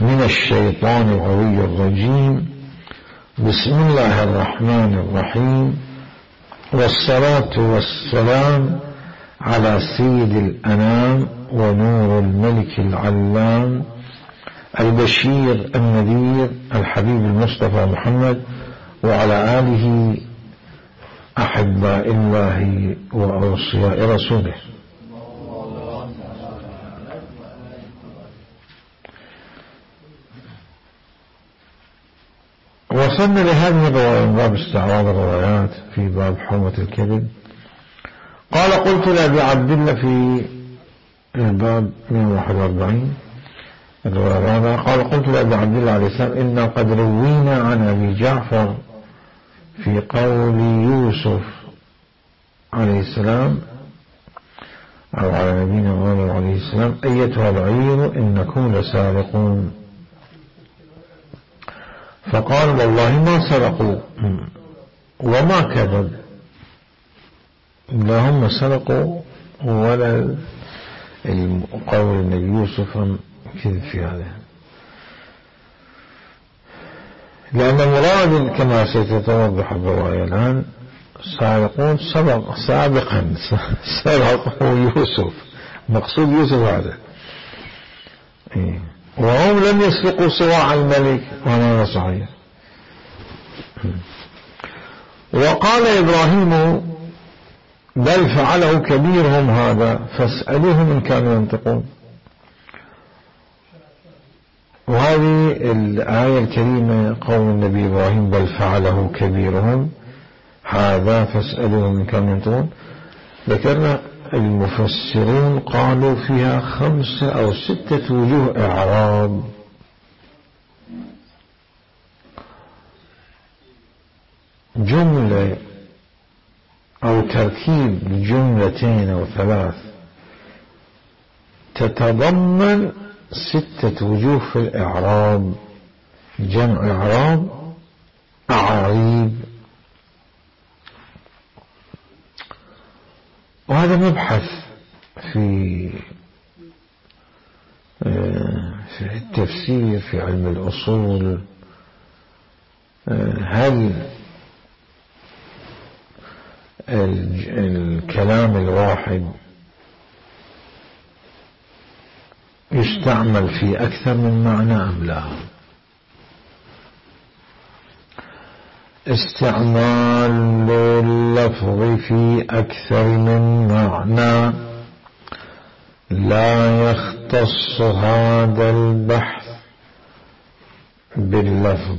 من الشيطان الغوي الرجيم. بسم الله الرحمن الرحيم، والصلاة والسلام على سيد الأنام ونور الملك العلام البشير النذير الحبيب المصطفى محمد وعلى آله أحباء الله وأوصياء رسوله. وصلنا لهذه الرواية من باب استعراض الروايات في باب حرمة الكذب. قال قلت لأبي عبد الله في الباب 141 الرواية الرابعة، قال قلت لأبي عبد الله عليه السلام إنا قد روينا عن أبي جعفر في قول يوسف عليه السلام أو على نبينا محمد عليه السلام: أيتها العير إنكم لسارقون. فقال: والله ما سرقوا وما كذب، لا هم سرقوا ولا قول النبي يوسف كذب في هذا، لأن مراد كما سيتوضح الرواية الآن سارقون سابقا سرقوا يوسف، مقصود يوسف هذا، وهم لم يسرقوا صواع الملك، وهذا صحيح. وقال إبراهيم: بل فعله كبيرهم هذا فاسألوهم إن كانوا ينطقون. وهذه الآية الكريمة قول النبي إبراهيم: بل فعله كبيرهم هذا فاسألوهم إن كانوا ينطقون، ذكرنا المفسرون قالوا فيها 5 أو 6 وجوه إعراب. جملة أو تركيب جملتين أو 3 تتضمن 6 وجوه في الإعراب، جمع إعراب أعاريب. وهذا مبحث في التفسير في علم الأصول. هل الكلام الواحد يستعمل في أكثر من معنى أم لا؟ استعمال اللفظ في أكثر من معنى لا يختص هذا البحث باللفظ.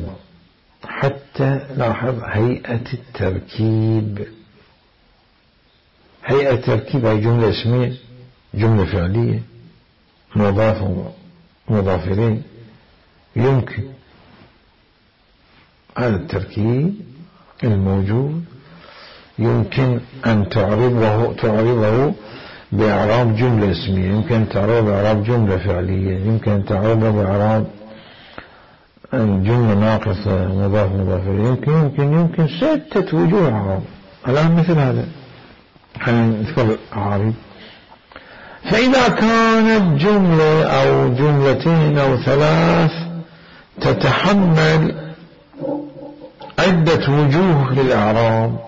حتى لاحظ هيئة التركيب، هيئة التركيب هي جملة اسمية، جملة فعلية، مضاف ومضاف إليه. يمكن هذا التركيب الموجود يمكن أن تعرضه بإعراب جملة اسمية، يمكن أن تعرضه بإعراب جملة فعلية، يمكن أن تعرضه بإعراب جملة ناقصة مضاف إليه، يمكن 6 وجوه إعراب. الآن مثل هذا خلينا نذكر الأعاريب. فإذا كانت جملة أو جملتين أو 3 تتحمل عدة وجوه للإعراب،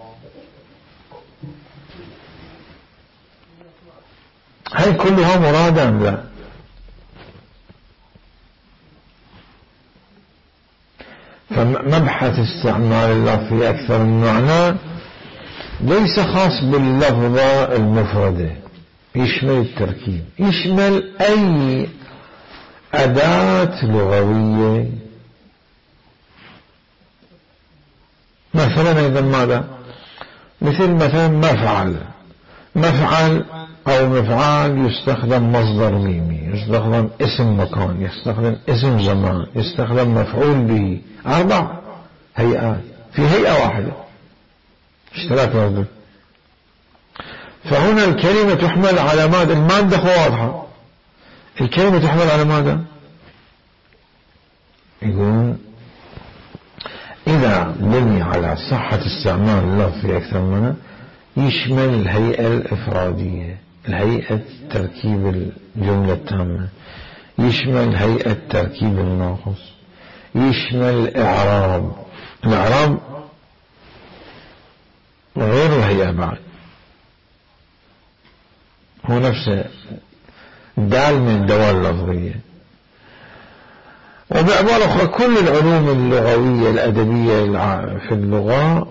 هل كلها مرادة أم لا؟ فمبحث استعمال اللفظ في أكثر من معنى ليس خاص باللفظة المفردة، يشمل التركيب، يشمل أي أداة لغوية. مثلا أيضا ماذا؟ مثلا مفعل أو مفعال يستخدم مصدر ميمي، يستخدم اسم مكان، يستخدم اسم زمان، يستخدم مفعول به، 4 هيئات في هيئة واحدة، اشتراك موجود. فهنا الكلمة تحمل على ماذا؟ المادة واضحة، الكلمة تحمل على ماذا؟ يقولون إذا بني على صحة استعمال اللفظ في أكثر منه يشمل الهيئة الإفرادية، الهيئة تركيب الجملة التامة، يشمل هيئة تركيب الناقص، يشمل الإعراب غير الهيئة بعد، هو نفسه دال من الدوال اللفظية. وبعبارة أخرى كل العلوم اللغوية الأدبية في اللغة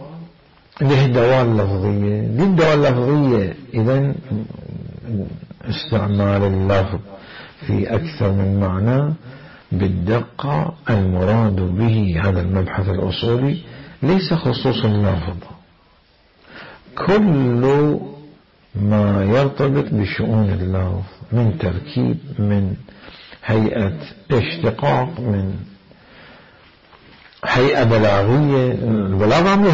له دوال لفظية. دي الدوال اللفظية إذن استعمال اللفظ في أكثر من معنى بالدقة المراد به هذا المبحث الأصولي ليس خصوص اللفظ، كل ما يرتبط بشؤون اللفظ من تركيب، من هيئة اشتقاق، من هيئة بلاغية، البلاغة من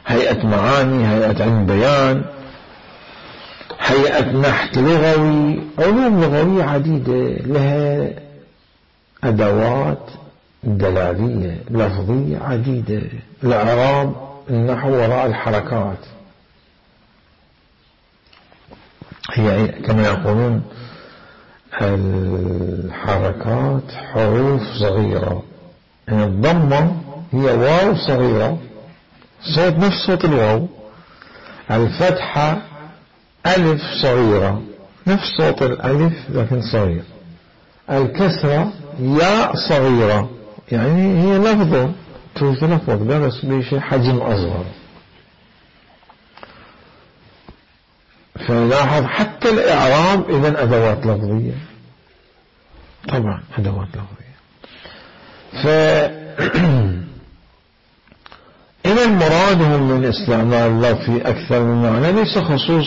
هيئة معاني، هيئة علم بيان، هيئة نحت لغوي، علوم لغوية عديدة لها أدوات دلالية لفظية عديدة. الإعراب النحو وراء الحركات، هي كما يقولون الحركات حروف صغيرة، يعني الضمة هي واو صغيرة صوت نفس صوت الواو، الفتحة ألف صغيرة نفس صوت الألف لكن صغير، الكسرة ياء صغيرة يعني هي لفظة تلفظ بس بشيء حجم أصغر. فلاحظ حتى الإعراب إذن أدوات لفظية، طبعا أدوات لفظية. إذن مرادهم من استعمال اللفظ في أكثر من معنى ليس خصوص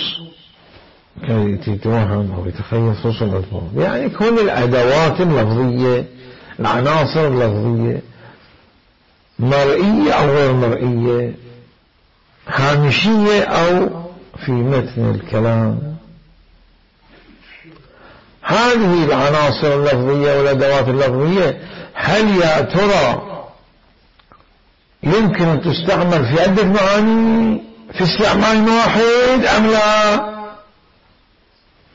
كي تتوهم أو يتخيل خصوص الألفاظ، يعني كل الأدوات اللفظية، العناصر اللفظية، مرئية أو غير مرئية، هامشية أو في متن الكلام، هذه العناصر اللفظية والأدوات اللفظية هل يا ترى يمكن أن تستعمل في عدة معاني في استعمال واحد أم لا؟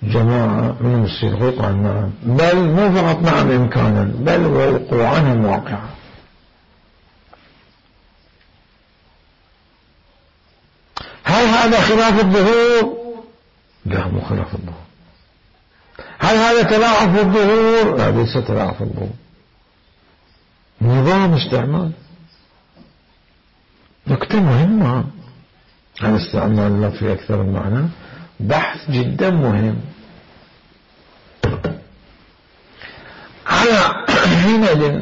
جماعة من المستشرقين قال نعم، بل مو فقط نعم إمكانا، بل وقوعا واقعا. هل هذا خلاف الظهور؟ لا، مو خلاف الظهور. هل هذا تلاعب في الظهور؟ لا، ليس تلاعب في الظهور، نظام استعمال. نكتة مهمة عن استعمال الله في أكثر من معنى، بحث جدا مهم. على حينئذ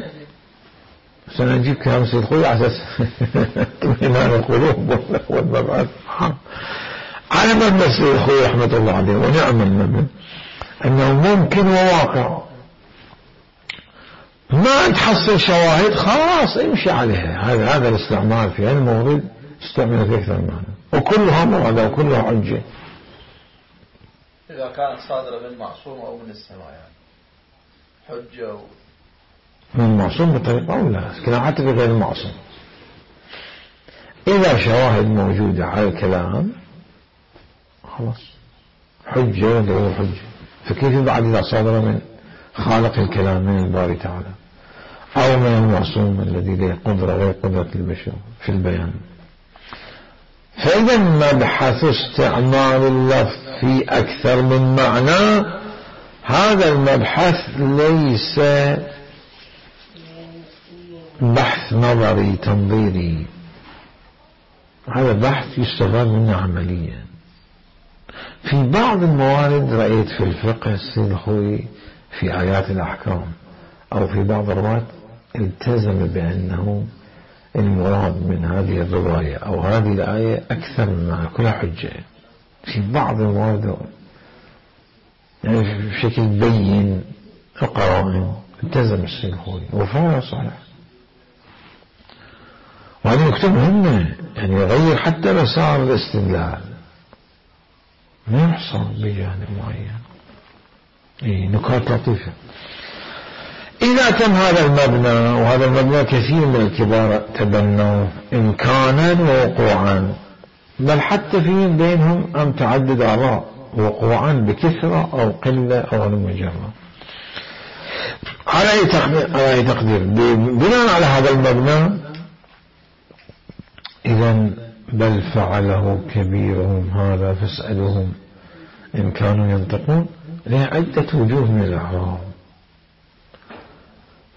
سنجيب كلام سيد خوي على أساس طمئنان القلوب والمبعث على مبنى سيد خوي رحمة الله عليه ونعم المبنى أنه ممكن وواقع. ما تحصل شواهد خلاص امشي عليها. هذا الاستعمال في المورد استعمل في أكثر من معنى وكلها مرادة وكلها حجة إذا كانت صادرة من معصوم أو من السماء، يعني حجة من معصوم بطريقة أو لا، لكن حتى في غير المعصوم إذا شواهد موجودة على الكلام خلاص حجة وغير حجة. فكيف بعد إذا صادر من خالق الكلام من الباري تعالى أو من المعصوم الذي له قدرة غير قدرة البشر في البيان. فإذا مبحث استعمال اللفظ في أكثر من معنى، هذا المبحث ليس بحث نظري تنظيري، هذا بحث يستفاد منه عمليا. في بعض الموارد رأيت في الفقه السيد الخوي في آيات الأحكام أو في بعض الروايات التزم بأنه المراد من هذه الرواية أو هذه الآية أكثر مما كلها حجة. في بعض الموارد يعني بشكل بين القرائن التزم السيد الخوي وفعلا صحيح. وهذه نكتة مهمة، يعني يغير حتى مسار الاستدلال، ما يحصل بجانب معين. نكات لطيفة. إذا تم هذا المبنى، وهذا المبنى كثير من الكبار تبنوا إمكانا ووقوعا، بل حتى في بينهم أم تعدد آراء، وقوعا بكثرة أو قلة أو المجرة. على أي تقدير بناء على هذا المبنى إذن بل فعله كبيرهم هذا فاسألهم إن كانوا ينطقون له عدة وجوه من الإعراب.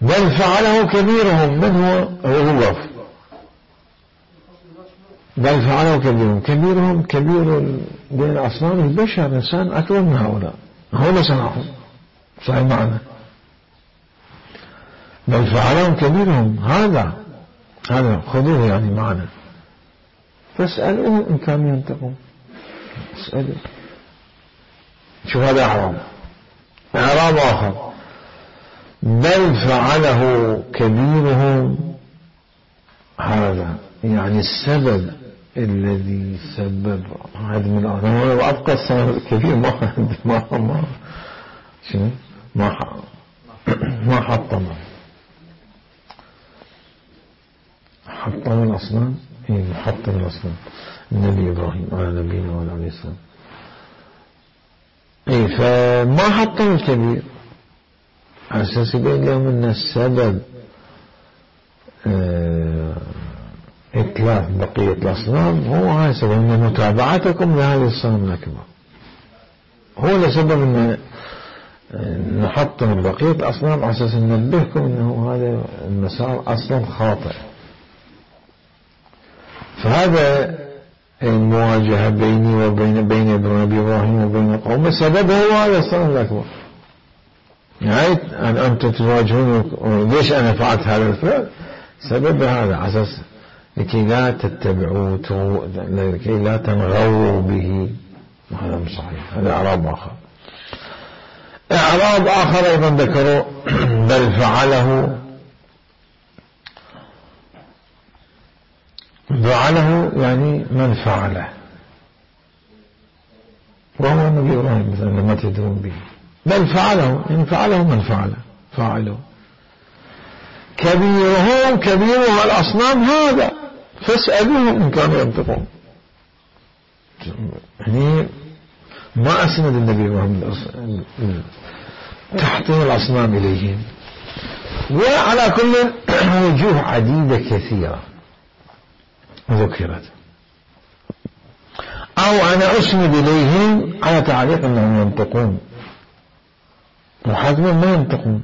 بل فعله كبيرهم من هو الوف بل فعله كبيرهم كبير بين أصنام البشر إنسان أكبر من هؤلاء هؤلاء صنعهم صحيح معنى بل فعلهم كبيرهم هذا خذوه يعني معنا فاسألوه إن كانوا ينطقون. اسألوا شوف هذا إعراب آخر بل فعله كبيرهم هذا يعني السبب الذي سبب هذا من الأمر وأبقى السبب الكبير ما حطم الأصنام محطم الأصنام النبي إبراهيم على نبينا وعلى عليه السلام فما حطم الكبير على أساس يبين لهم أن السبب إتلاف بقية الأصنام هو هذا سبب أن متابعتكم لهذه الصنم الأكبر هو لسبب أن نحطم بقية الأصنام على أساس ننبهكم أنه هذا المسار أصلا خاطئ. فهذا المواجهة بيني وبين إبراهيم وبين قومه سببه هو هذا الصنم الأكبر يعني أنتم تواجهون ليش أنا فعلت هذا الفعل سبب هذا على أساس لكي لا تتبعوا لكي لا تنغروا به. هذا مش صحيح. هذا إعراب آخر أيضا ذكروا بل فعله يعني من فعله وهو النبي إبراهيم مثلا لما تدرون به بل فعله إن فعله من فاعله كبيرهم الأصنام هذا فاسألوهم إن كانوا ينطقون. يعني ما أسند النبي إبراهيم تحطيم الأصنام إليهم وعلى كل وجوه عديدة كثيرة ذكرت أو أنا أسند إليهم على تعليق أنهم ينطقون وحتما ما ينطقون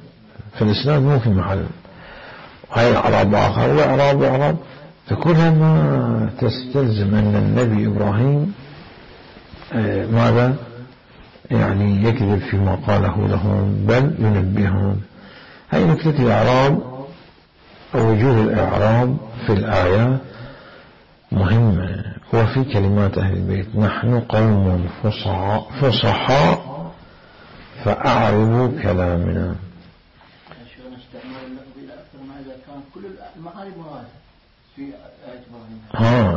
فالإسناد مو في محل. هاي إعراب آخر وإعراب فكلها ما تستلزم أن النبي إبراهيم ماذا يعني يكذب فيما قاله لهم بل ينبههم. هاي نكتة الإعراب أو وجوه الإعراب في الآيات مهمة. وفي كلمات أهل البيت نحن قوم فصحاء فأعرضوا كلامنا.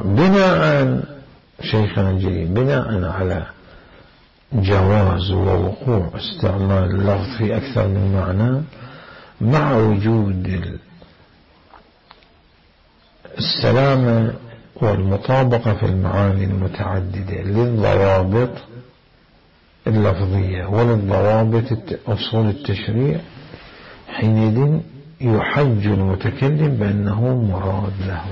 بناء شيخنا الجليل بناء على جواز ووقوع استعمال اللفظ في أكثر من معنى مع وجود السلامة والمطابقة في المعاني المتعددة للضوابط اللفظية وللضوابط أصول التشريع حينئذ يحج المتكلم بأنه مراد له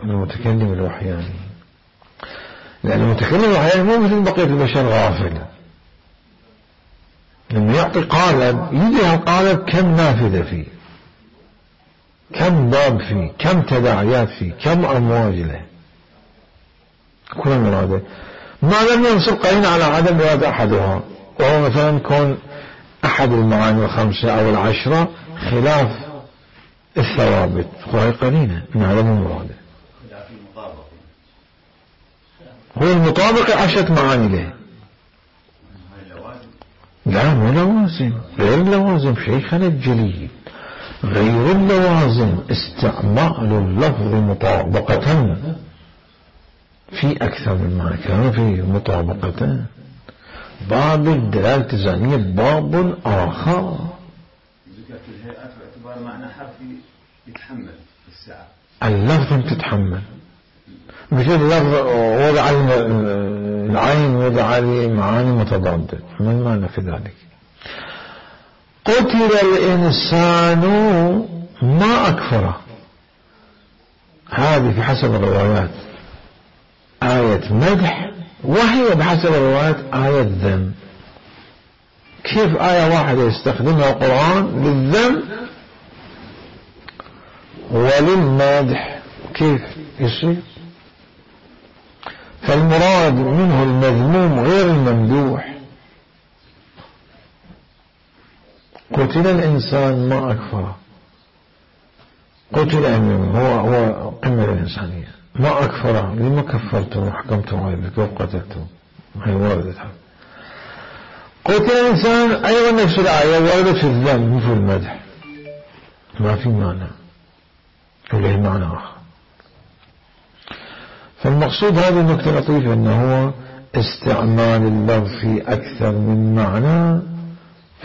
المتكلم الوحياني لأن المتكلم الوحياني مو مثل بقية البشر غافل لما يعطي قالب يدي القالب كم نافذة فيه كم باب فيه كم تداعيات فيه كم أمواج له كل المرادة ما لم ينصب قرينة على عدم إرادة أحدها وهو مثلا كون أحد المعاني الخمسة أو العشرة خلاف الثوابت وهي قرينة من عدم المرادة هو المطابق 10 معاني له لا مو لوازم غير اللوازم شيخنا الجليل غير اللوازم استعمال اللفظ مطابقة في أكثر من معنى كان في مطابقة باب الدلالة الزانية باب آخر معنى حرفي يتحمل الساعة اللفظ تتحمل مثل اللفظ وضع العين وضع معاني متضادة ما المعنى في ذلك قتل الإنسان ما أكفره، هذه بحسب الروايات آية مدح، وهي بحسب الروايات آية ذم. كيف آية واحدة يستخدمها القرآن للذم وللمدح؟ كيف يصير؟ فالمراد منه المذموم غير الممدوح. قتل الإنسان ما أكفره، قتل هو قمة الإنسانية، ما أكفره لما كفرتم وحكمتم عليه كيف قتلتم، هي وردت. قتل الإنسان أيضا نفس الآية وردت في الذم في المدح، ما في معنى وله معنى آخر. فالمقصود هذه النكتة لطيفة، أنه هو استعمال اللفظ في أكثر من معنى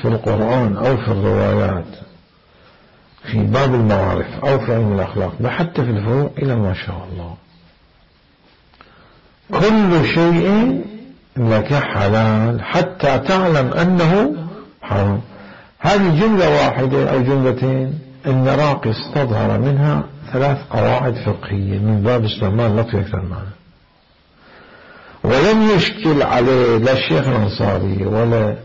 في القرآن أو في الروايات في باب المعارف أو في علم الأخلاق، حتى في الفروع إلى ما شاء الله. كل شيء لك حلال حتى تعلم أنه حرام. هذه جملة واحدة أو جملتين النراقي استظهر منها 3 قواعد فقهية من باب استعمال لفظ أكثر معنى، ولم يشكل عليه لا الشيخ الأنصاري ولا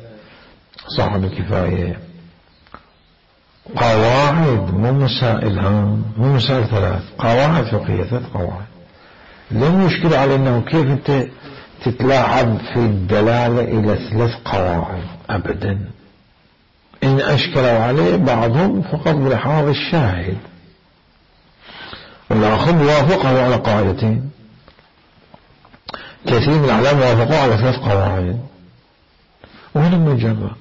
صاحب الكفاية قواعد مو مسائل، مو مسائل 3 قواعد فقهية، 3 قواعد لم يشكل عليه أنه كيف أنت تتلاعب في الدلالة إلى 3 قواعد أبدا. إن أشكلوا عليه بعضهم فقط بلحاظ الشاهد، والآخر وافقه على قاعدتين، كثير من العلماء وافقوا على 3 قواعد وهنا مجرد.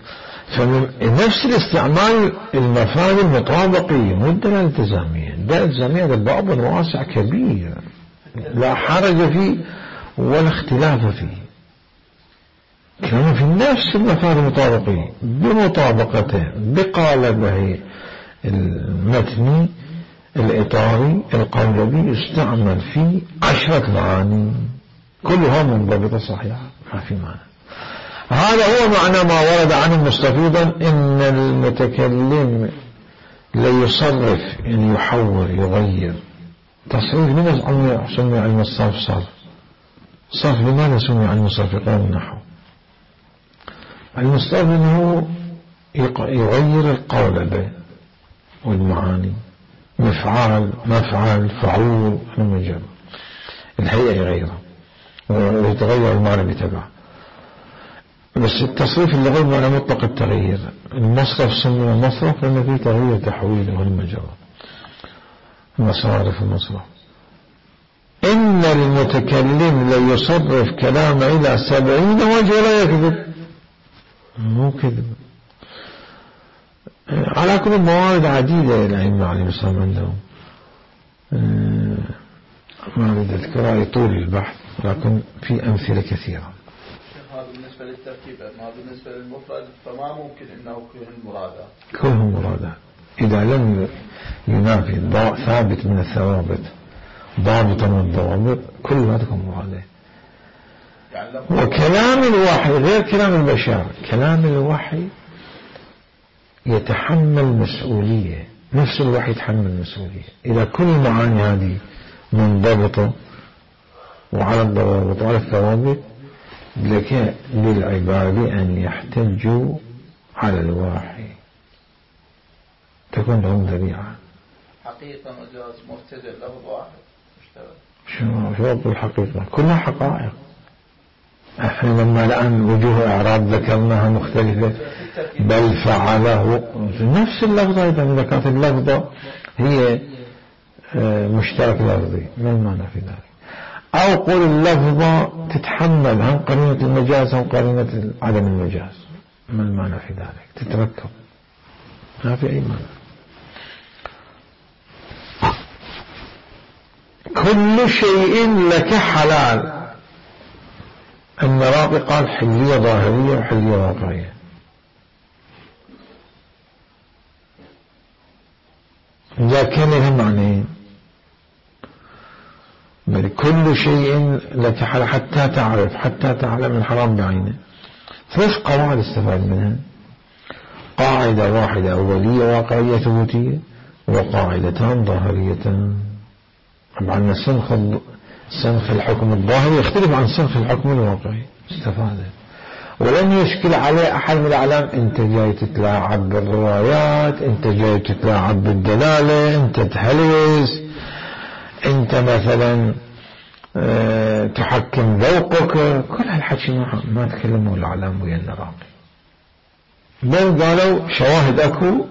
فنفس الاستعمال المفاهيم المطابقية مو الدلالة الالتزامية. الدلالة الالتزامية هذا باب واسع كبير لا حرج فيه ولا اختلاف فيه، كانوا في نفس المفاهيم المطابقية بمطابقته بقالبه المتني الإطاري القولبي يستعمل فيه 10 معاني كلها منضبطة صحيحة ما في معنى. هذا هو معنى ما ورد عنه مستفيضا إن المتكلم ليصرف، يعني يحور يغير. تصريف من سمي علم الصرف صرف لماذا سمي علم الصرف؟ يقول النحو علم الصرف إنه يغير القولبة والمعاني، مفعال مفعل فعول المجرد الهيئة يغيرها ويتغير المعنى بتبعه. بس التصريف اللي غير معنى مطلق التغيير. المصرف سمي مصرف لأنه فيه تغيير تحويل والمجرد المصارف المصرف. إن المتكلم ليصرف كلام إلى 70 وجه ولا يكذب، مو كذب. على كل موارد عديدة الأئمة عليهم السلام عندهم، ما أريد أذكرها لطول البحث لكن في أمثلة كثيرة. هذا بالنسبة للترتيب، ما بالنسبة للمفرد فما ممكن أنه كلهم مرادات. كلهم مرادات إذا لم ينافي ثابت من الثوابت ضابطا من الضوابط كل ما تكون مرادات. يعني وكلام الوحي غير كلام البشر. كلام الوحي يتحمل مسؤولية، نفس الوحي يتحمل مسؤولية. إذا كل المعاني هذه منضبطة وعلى الضوابط وعلى الثوابت لك للعباد أن يحتجوا على الوحي، تكون لهم ذريعة. حقيقة مجاز مبتدأ لفظ واحد شو الحقيقة كلها حقائق. احنا لما الآن وجوه اعراب ذكرناها مختلفة، بل فعله نفس اللفظة. إذا كانت اللفظة هي مشترك لفظي ما المعنى في ذلك؟ أو قول اللفظة تتحمل هم قرينة المجاز هم قرينة عدم المجاز، ما المعنى في ذلك؟ تتركب ما في أي معنى. كل شيء لك حلال. المراقي قال حلية ظاهرية وحلية واقعية. إذا كان لها معنيين، بل كل شيء لك حلال حتى تعرف حتى تعلم الحرام بعينه. 3 قواعد استفاد منها. قاعدة قاعدة واحدة أولية واقعية ثبوتية وقاعدتان ظاهريتان. طبعا سنخ الحكم الظاهري يختلف عن سنخ الحكم الواقعي. استفادة ولن يشكل عليه أحد من الأعلام. أنت جاي تتلاعب بالروايات، أنت جاي تتلاعب بالدلالة، أنت تهلوس، أنت مثلا تحكم ذوقك. كل هالحكي ما تكلموا الأعلام ويا النراقي، بل قالوا شواهد أكو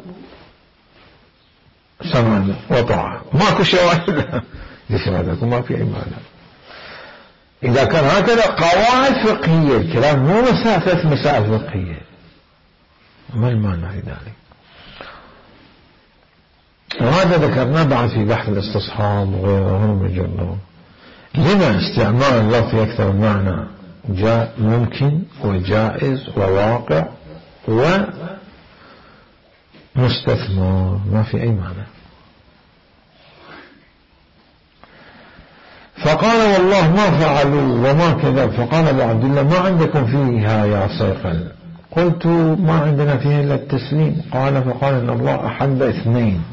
سمعنا وطاعة. ماكو شواهد لشواهد أكو ما في أي معنى. إذا كان هكذا قواعد فقهية الكلام مو مسافة مسائل فقهية، ما المعنى في ذلك؟ وهذا ذكرناه بعد في بحث الاستصحاب وغيره من الجنة. لما استعمال اللفظ أكثر معنى جاء ممكن وجائز وواقع ومستثمر، ما في أي معنى. فقال والله ما فعلوا وما كذا. فقال أبو عبد الله ما عندكم فيها يا صيقل؟ قلت ما عندنا فيها إلا التسليم. قال فقال إن الله أحب اثنين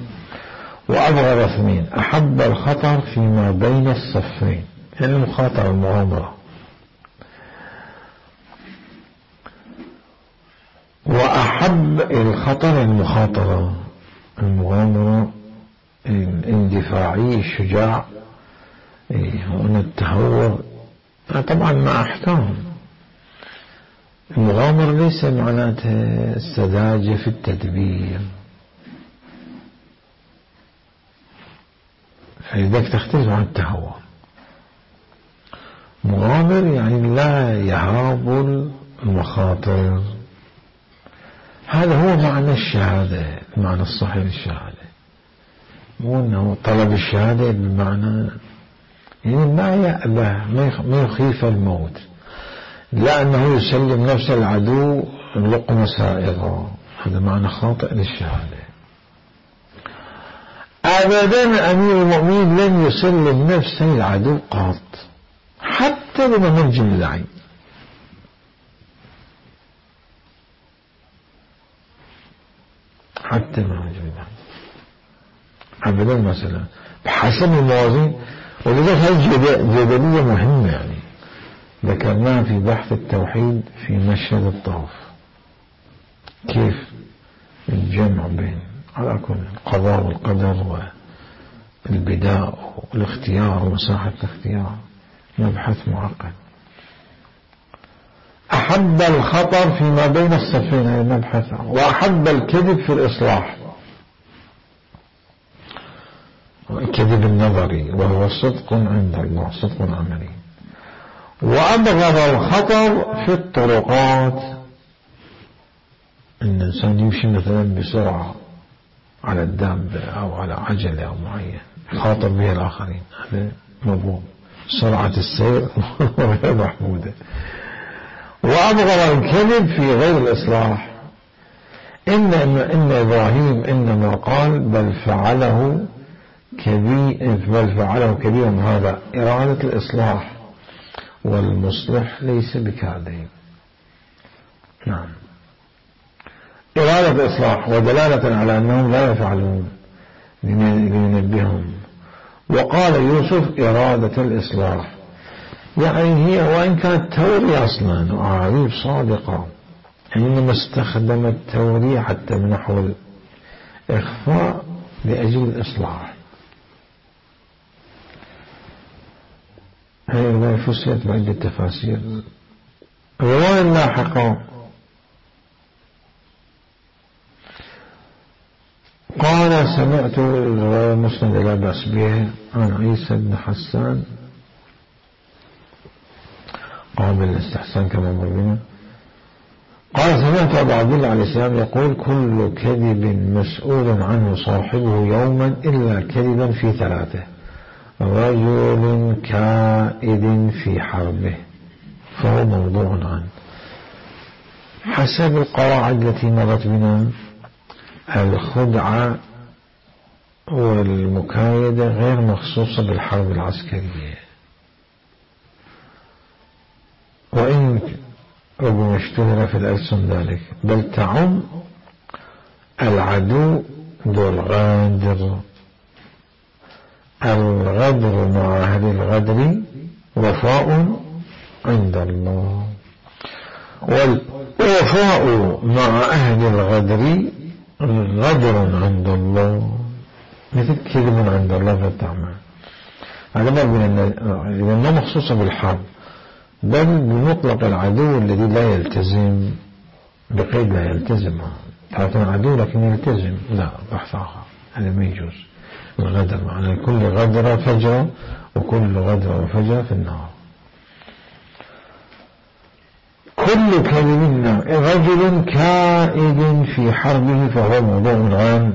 وأبغض اثنين، أحب الخطر فيما بين الصفين، يعني المخاطرة المغامرة، وأحب الخطر المخاطرة المغامرة الاندفاعي الشجاع. هنا التهور طبعا مع احكام. المغامرة ليس معناتها السذاجة في التدبير، فلذلك تختلف عن التهور. مغامر يعني لا يهاب المخاطر. هذا هو معنى الشهادة، المعنى الصحيح للشهادة، مو أنه طلب الشهادة بمعنى يعني ما يأبه ما يخيف الموت، لا أنه يسلم نفس العدو لقمة سائغة. هذا معنى خاطئ للشهادة. أبدا أمير المؤمنين لن يسلم نفسه العدو قط، حتى بما منجم اللعين. حتى ما منجم اللعين أبدا مثلا بحسب الموازين. ولذلك هذه جدلية مهمة يعني ذكرناها في بحث التوحيد في مشهد الطواف، كيف الجمع بين على كل القضاء والقدر والبداء والاختيار ومساحة الاختيار، مبحث معقد. أحب الخطر فيما بين الصفين، هذا مبحث. وأحب الكذب في الإصلاح، الكذب النظري وهو صدق عند الله، صدق عملي. وأبغض الخطر في الطرقات، إن الإنسان يمشي مثلا بسرعة على الدابة أو على عجلة أو معين يخاطر بها الآخرين، هذا مضمون. سرعة السير غير محمودة. وأبغض الكذب في غير الإصلاح. إن إبراهيم إنما قال بل فعله كبير هذا إرادة الإصلاح، والمصلح ليس بكاذب. نعم، إرادة الإصلاح ودلالة على أنهم لا يفعلون لينبههم. وقال يوسف إرادة الإصلاح، يعني هي وإن كانت تورية أصلا وأعاريب صادقة، إنما استخدم التورية حتى من نحو الإخفاء لأجل الإصلاح. هذه الرواية فسرت بعدة تفاسير. الرواية اللاحقة قال سمعت الرواية مسند لا بأس بها عن عيسى بن حسان قابل الاستحسان كما مر بنا. قال سمعت أبو عبد الله عليه السلام يقول كل كذب مسؤول عنه صاحبه يوما إلا كذبا في ثلاثة: رجل كائد في حربه فهو موضوع عنه. حسب القواعد التي مرت بنا الخدعة والمكايدة غير مخصوصة بالحرب العسكرية، وإن ربما اشتهر في الألسن ذلك، بل تعم العدو ذو الغدر. الغدر مع أهل الغدر وفاء عند الله، والوفاء مع أهل الغدر غدر عند الله، مثل كذب عند الله فالتعمى. هذا ما مخصوصة بالحرب، بل بمطلق العدو الذي لا يلتزم، بقيد لا يلتزم. تعطون عدو لكن يلتزم، لا، بحث آخر، هذا ما يجوز. الغدر معنى كل غدر فجر، وكل غدر وفجر في النار. كل كلمة رجل كائد في حربه فهو موضوع عام،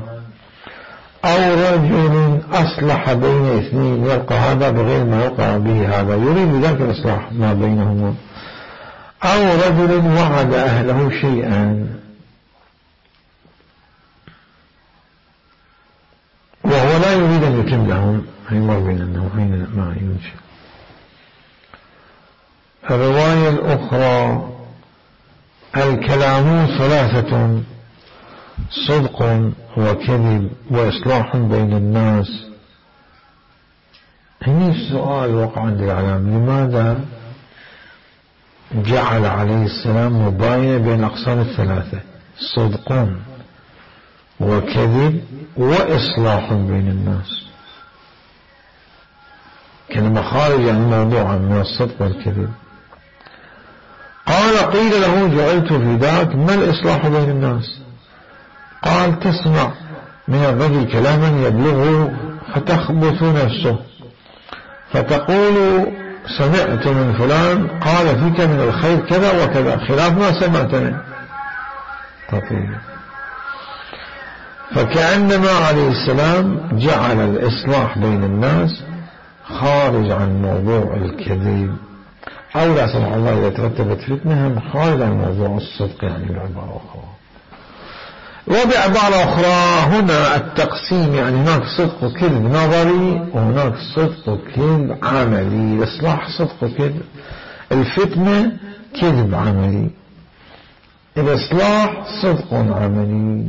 أو رجل أصلح بين اثنين يلقى هذا بغير ما يلقى به هذا، يريد بذلك الإصلاح ما بينهما، أو رجل وعد أهله شيئا وهو لا يريد أن يتم لهم، يمر بين أنه حين ما ينشأ. الرواية الأخرى: الكلام ثلاثة: صدق وكذب وإصلاح بين الناس. هنا السؤال وقع عند العلام: لماذا جعل عليه السلام مباينة بين الأقسام الثلاثة؟ صدق وكذب وإصلاح بين الناس، كلمة خارجة عن الموضوع من الصدق والكذب. قال: قيل له: جعلت في ذاك، ما الإصلاح بين الناس؟ قال: تسمع من الرجل كلاما يبلغه فتخبث نفسه، فتقول: سمعت من فلان قال فيك من الخير كذا وكذا، خلاف ما سمعت منه. تطيب. فكأنما عليه السلام جعل الإصلاح بين الناس خارج عن موضوع الكذب، أو لا سمح الله إذا ترتبت فتنة خارج عن موضوع الصدق، يعني بعبارة أخرى. وبعبارة أخرى هنا التقسيم، يعني هناك صدق وكذب نظري، وهناك صدق وكذب عملي. الإصلاح صدق وكذب، الفتنة كذب عملي، الإصلاح صدق عملي.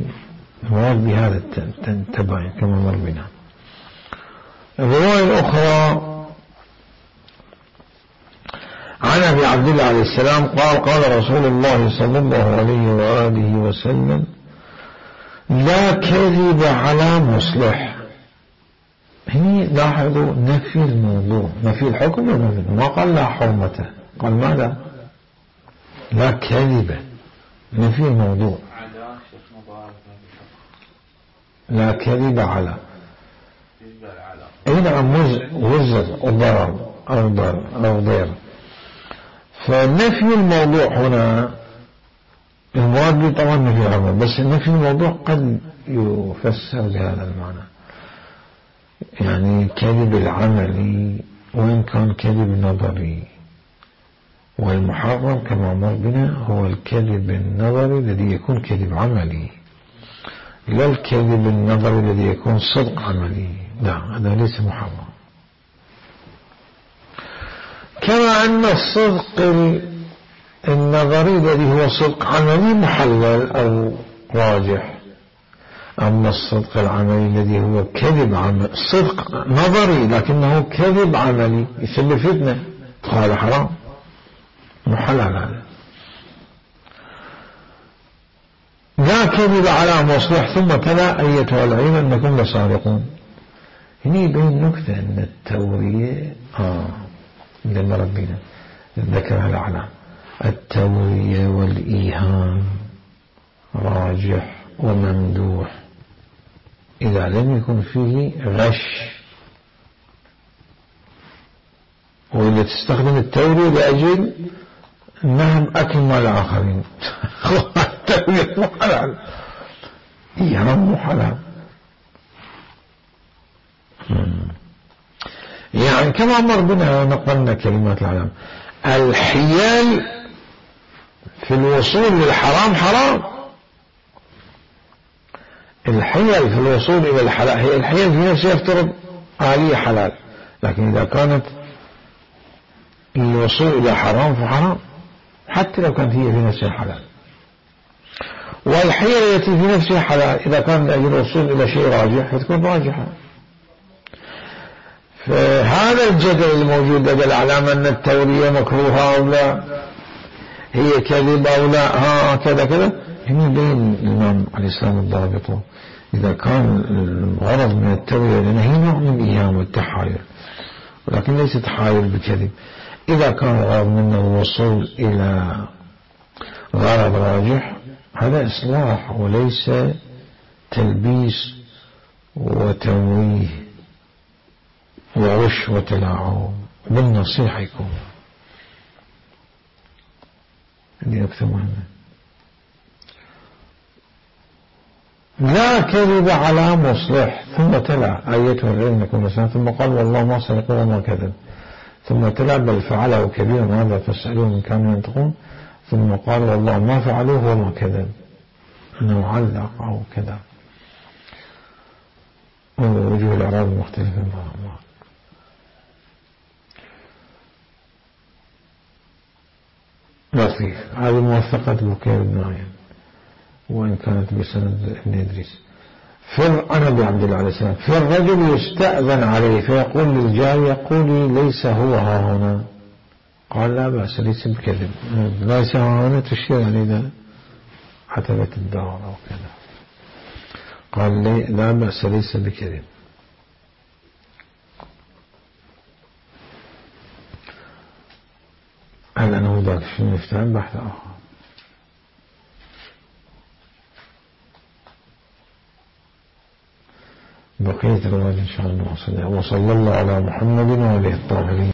المراد بهذا التباين كما مر بنا. الرواية الأخرى عن أبي عبد الله عليه السلام قال: قال رسول الله صلى الله عليه وآله وسلم: لا كذب على مصلح. هنا لاحظوا نفي الموضوع، نفي الحكم، ما قال لا حرمته، قال ماذا؟ لا كذب، نفي الموضوع. لا كذب على، هنا وزر وضرر أو ضير. فنفي الموضوع هنا المراد به طبعا نفي العمل، بس نفي الموضوع قد يفسر بهذا المعنى، يعني كذب العملي وإن كان كذب نظري. والمحرم كما مر بنا هو الكذب النظري الذي يكون كذب عملي، لا الكذب النظري الذي يكون صدق عملي، لا، هذا ليس محرم. كما أن الصدق النظري الذي هو صدق عملي محلل أو راجح، أما الصدق العملي الذي هو كذب عملي، صدق نظري لكنه كذب عملي يسبب فتنة، قال حرام، محلل هذا. لا كذب على مصلح. ثم تلا: أيتها العين أنكم لصادقون. هنا يبين نكتة أن التورية لما ربنا ذكرها الأعلام، التورية والإيهام راجح وممدوح إذا لم يكن فيه غش، وإذا تستخدم التورية لأجل نهم أكل مال الآخرين التورية مو حلال، إيهام مو حلال. يعني كما مر بنا نقلنا كلمات العلم، الحيل في الوصول للحرام حرام، الحيل في الوصول إلى الحلال، هي الحيل في نفسها يفترض آلية حلال، لكن إذا كانت الوصول إلى حرام فحرام، حتى لو كانت هي في نفسها حلال. والحيلة التي في نفسها حلال إذا كان من أجل الوصول إلى شيء راجح فتكون راجحة. فهذا الجدل الموجود دل على أن التورية مكروهة أو لا، هي كذب أو لا، كذا كذا، هنا بين الإمام عليه السلام الضابط. إذا كان الغرض من التورية لأنه هي نوع من الإيهام والتحايل، ولكن ليس تحايل بكذب. إذا كان الغرض منه الوصول إلى غرض راجح هذا إصلاح وليس تلبيس وتمويه وغش وتلاعب، بالنصيحة يكون. هذه نكتة مهمة. لا كذب على مصلح، ثم تلا آيته العلم يكون مثلا، ثم قال والله ما صدق وما كذب، ثم تلا بل فعله كبير هذا فاسألوه من كانوا ينطقون، ثم قال والله ما فعلوه وما كذب، أنه علق أو كذا. ووجوه الإعراب المختلفة معها. لطيف. هذه موثقة بكير بن عيان وإن كانت بسند ابن إدريس. أنا بعبد الله عليه السلام فالرجل يستأذن عليه فيقول للجاري يقول ليس هو ها هنا، قال لا بأس ليس بكذب، ليس ها هنا تشير عليه عتبة الدار أو كذا، قال لا بأس ليس بكذب. هل أنا ذاك في المفتاح بحث آخر. بقية الرواية إن شاء الله. وصلى الله على محمد وعليه الطاهرين.